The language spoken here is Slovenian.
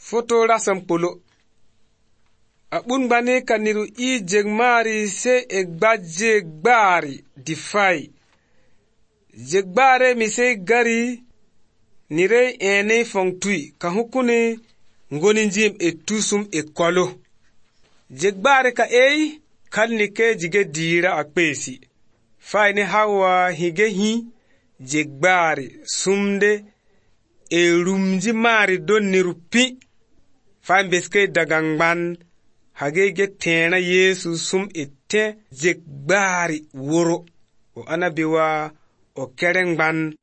Foto rasam polo. Abun bane kaniru I jegmari se egba jegbari difai. Jegbare mi se gari nire ene fongtui ka hukune ngoni njim etusum ekolo. Jegbare ka kalnike jige dira akpesi. Faine hawa hige hi jegbare sumde rumji mari don nirupi. Fain beske dagangban hagege tena Yesu sum ete jegbari woro. O anabiwa o kerengban